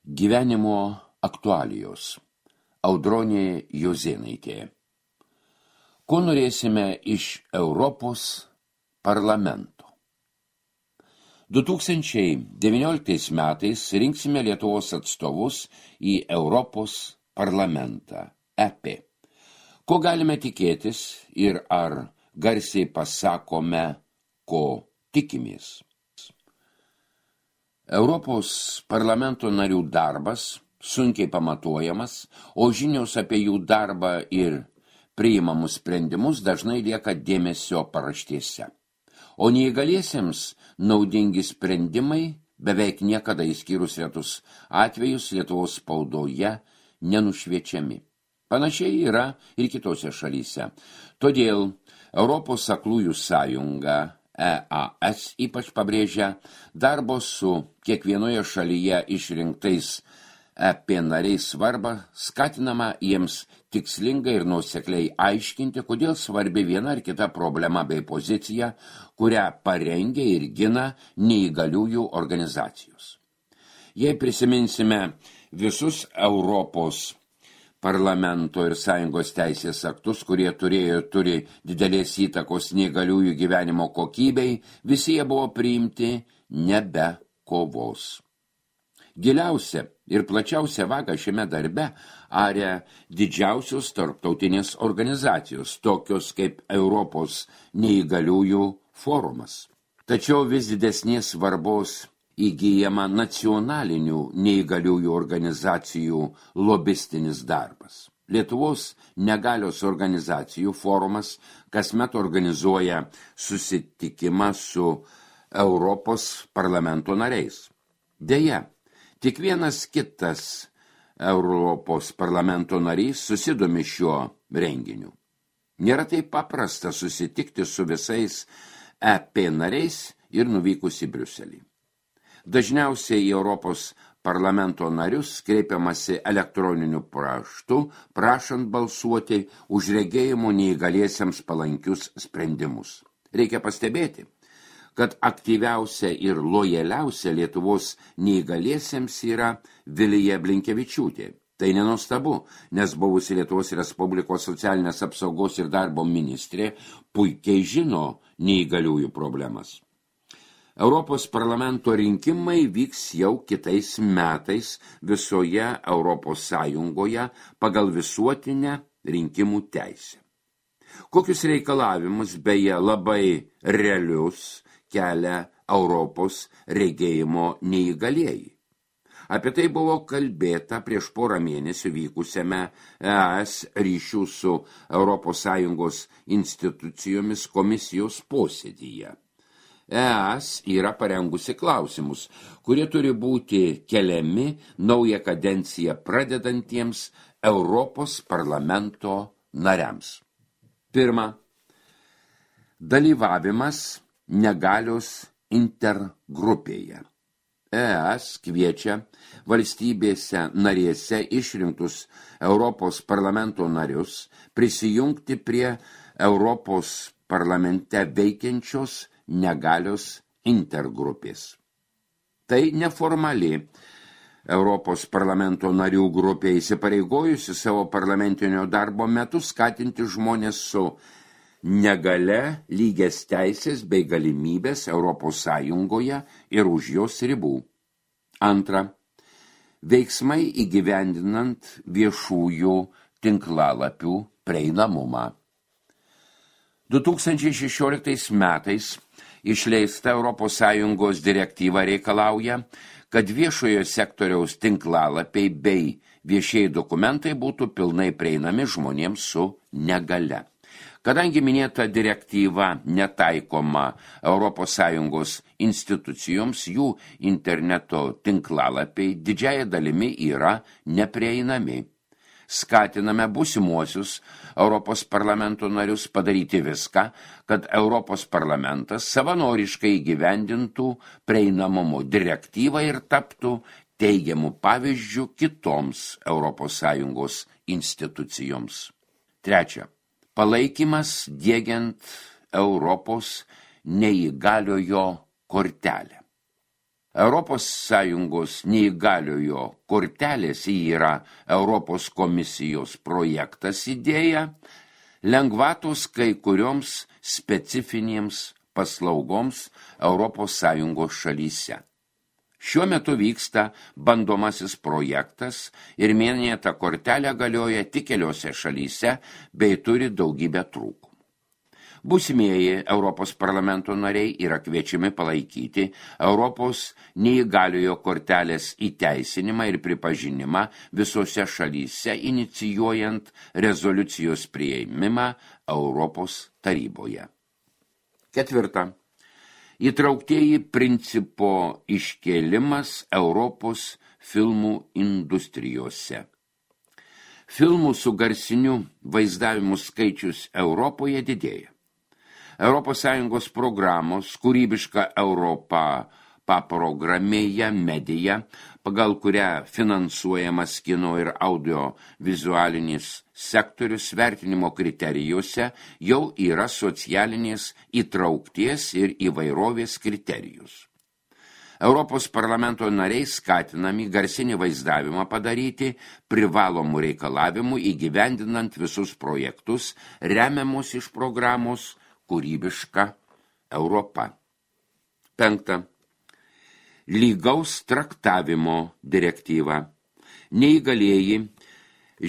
Gyvenimo aktualijos. Audronė Jozėnaitė. Ko norėsime iš Europos parlamento? 2019 metais rinksime Lietuvos atstovus į Europos parlamentą, EP. Ko galime tikėtis ir ar garsiai pasakome, ko tikimės? Europos parlamento narių darbas sunkiai pamatuojamas, o žinios apie jų darbą ir priimamus sprendimus dažnai lieka dėmesio paraštėse. O neįgaliesiems naudingi sprendimai beveik niekada išskyrus retus atvejus Lietuvos spaudoje nenušviečiami. Panašiai yra ir kitose šalyse. Todėl Europos aklųjų sąjunga EAS ypač pabrėžia darbo su kiekvienoje šalyje išrinktais EP nariais svarbą, skatinama jiems tikslingai ir nuosekliai aiškinti, kodėl svarbi viena ar kita problema bei pozicija, kurią parengia ir gina neįgaliųjų organizacijos. Jei prisiminsime visus Europos parlamento ir sąjungos teisės aktus, kurie turi didelės įtakos neįgaliųjų gyvenimo kokybei, visi jie buvo priimti nebe kovos. Giliausia ir plačiausia vaga šiame darbe aria didžiausios tarptautinės organizacijos, tokios kaip Europos neįgaliųjų forumas. Tačiau vis didesnės svarbos įgyjama nacionalinių neįgaliųjų organizacijų lobistinis darbas. Lietuvos negalios organizacijų forumas kasmet organizuoja susitikimą su Europos parlamento nariais. Deja, tik vienas kitas Europos parlamento narys susidomi šiuo renginiu. Nėra taip paprasta susitikti su visais EP nariais ir nuvykus į Briuselį. Dažniausiai į Europos parlamento narius kreipiamasi elektroniniu paštu, prašant balsuoti už regėjimo neįgaliesiems palankius sprendimus. Reikia pastebėti, kad aktyviausia ir lojaliausia Lietuvos neįgaliesiems yra Vilija Blinkevičiūtė. Tai nenuostabu, nes buvusi Lietuvos Respublikos socialinės apsaugos ir darbo ministrė puikiai žino neįgaliųjų problemas. Europos parlamento rinkimai vyks jau kitais metais visoje Europos Sąjungoje pagal visuotinę rinkimų teisę. Kokius reikalavimus, beje, labai realius kelia Europos regėjimo neįgalieji? Apie tai buvo kalbėta prieš porą mėnesių vykusiame ES ryšių su Europos Sąjungos institucijomis komisijos posėdyje. ES yra parengusi klausimus, kurie turi būti keliami naują kadenciją pradedantiems Europos parlamento nariams. Pirma, dalyvavimas negalios intergrupėje. ES kviečia valstybėse narėse išrinktus Europos parlamento narius prisijungti prie Europos parlamente veikiančios negalios intergrupės. Tai neformali Europos parlamento narių grupė įsipareigojusi savo parlamentinio darbo metu skatinti žmonės su negale lygias teisės bei galimybės Europos Sąjungoje ir už jos ribų. Antra, veiksmai įgyvendinant viešųjų tinklalapių prieinamumą. 2016 metais išleista Europos Sąjungos direktyva reikalauja, kad viešojo sektoriaus tinklalapiai bei viešieji dokumentai būtų pilnai prieinami žmonėms su negale. Kadangi minėta direktyva netaikoma Europos Sąjungos institucijoms, jų interneto tinklalapiai didžiąja dalimi yra neprieinami. Skatiname būsimuosius Europos parlamento narius padaryti viską, kad Europos parlamentas savanoriškai įgyvendintų prieinamumo direktyvą ir taptų teigiamų pavyzdžių kitoms Europos Sąjungos institucijoms. Trečia, palaikymas diegiant Europos neįgaliojo kortelę. Europos Sąjungos neįgaliojo kortelės yra Europos komisijos projektas idėja, lengvatos kai kurioms specifinėms paslaugoms Europos Sąjungos šalyse. Šiuo metu vyksta bandomasis projektas ir minėta kortelė galioja tik keliose šalyse bei turi daugybę trūkumų. Būsimieji Europos parlamento nariai yra kviečiami palaikyti Europos neįgaliojo kortelės įteisinimą ir pripažinimą visose šalyse, inicijuojant rezoliucijos priėmimą Europos taryboje. 4. Įtrauktieji principo iškėlimas Europos filmų industrijose. Filmų su garsiniu vaizdavimu skaičius Europoje didėja. Europos Sąjungos programos Kūrybiška Europa paprogramėje Medija, pagal kurią finansuojamas kino ir audiovizualinis sektorius vertinimo kriterijuose jau yra socialinės įtraukties ir įvairovės kriterijus. Europos parlamento nariai skatinami garsinį vaizdavimą padaryti privalomų reikalavimų įgyvendinant visus projektus remiamus iš programos Kūrybiška Europa. 5. Lygaus traktavimo direktyva. Neįgalieji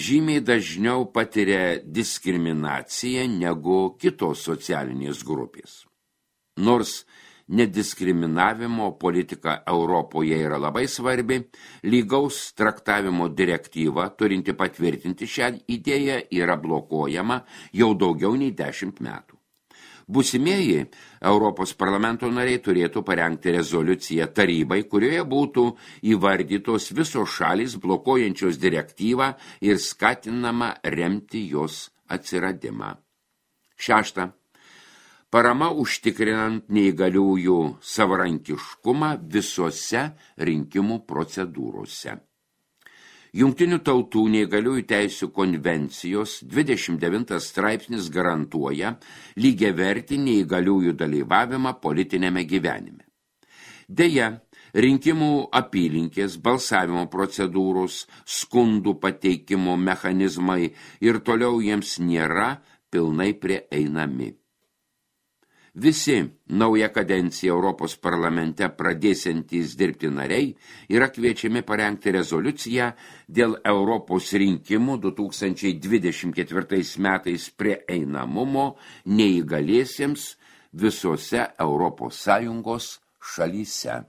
žymiai dažniau patiria diskriminaciją negu kitos socialinės grupės. Nors nediskriminavimo politika Europoje yra labai svarbi, lygaus traktavimo direktyva, turinti patvirtinti šią idėją, yra blokuojama jau daugiau nei 10 metų. Būsimieji Europos parlamento nariai turėtų parengti rezoliuciją tarybai, kurioje būtų įvardytos visos šalys blokuojančios direktyvą ir skatinama remti jos atsiradimą. 6. Parama užtikrinant neįgaliųjų savarankiškumą visose rinkimų procedūrose. Jungtinių tautų neįgaliųjų teisių konvencijos 29 straipsnis garantuoja lygiavertį neįgaliųjų dalyvavimą politinėme gyvenime. Deja, rinkimų apylinkės, balsavimo procedūros, skundų pateikimo mechanizmai ir toliau jiems nėra pilnai prieinami. Visi naują kadenciją Europos parlamente pradėsiantys dirbti nariai yra kviečiami parengti rezoliuciją dėl Europos rinkimų 2024 metais prieinamumo neįgaliesiems visose Europos Sąjungos šalyse.